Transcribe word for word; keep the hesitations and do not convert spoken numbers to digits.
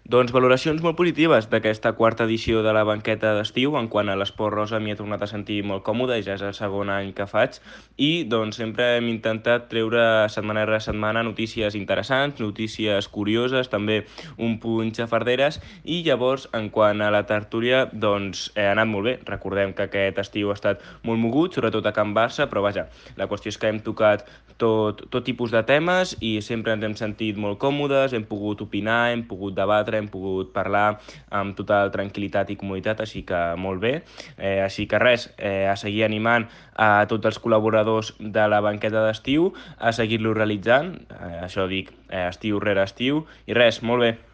Doncs valoracions molt positives d'aquesta quarta edició de la banqueta d'estiu. En quant a l'esport rosa m'hi he tornat a sentir molt còmode, ja és el segon any que faig, i doncs sempre hem intentat treure setmana rere setmana notícies interessants, notícies curioses, també un punt xafarderes, i llavors, en quant a la tertúlia, doncs ha anat molt bé. Recordem que aquest estiu ha estat molt mogut, sobretot a Can Barça, però vaja, la qüestió és que hem tocat tot, tot tipus de temes i sempre ens hem sentit molt còmodes, hem pogut opinar, hem pogut debatre, hem pogut parlar amb total tranquil·litat i comoditat, així que molt bé. Eh, així que res, eh, a seguir animant a tots els col·laboradors de la banqueta d'estiu a seguir-lo realitzant, eh, això dic, eh, estiu rere estiu, i res, molt bé.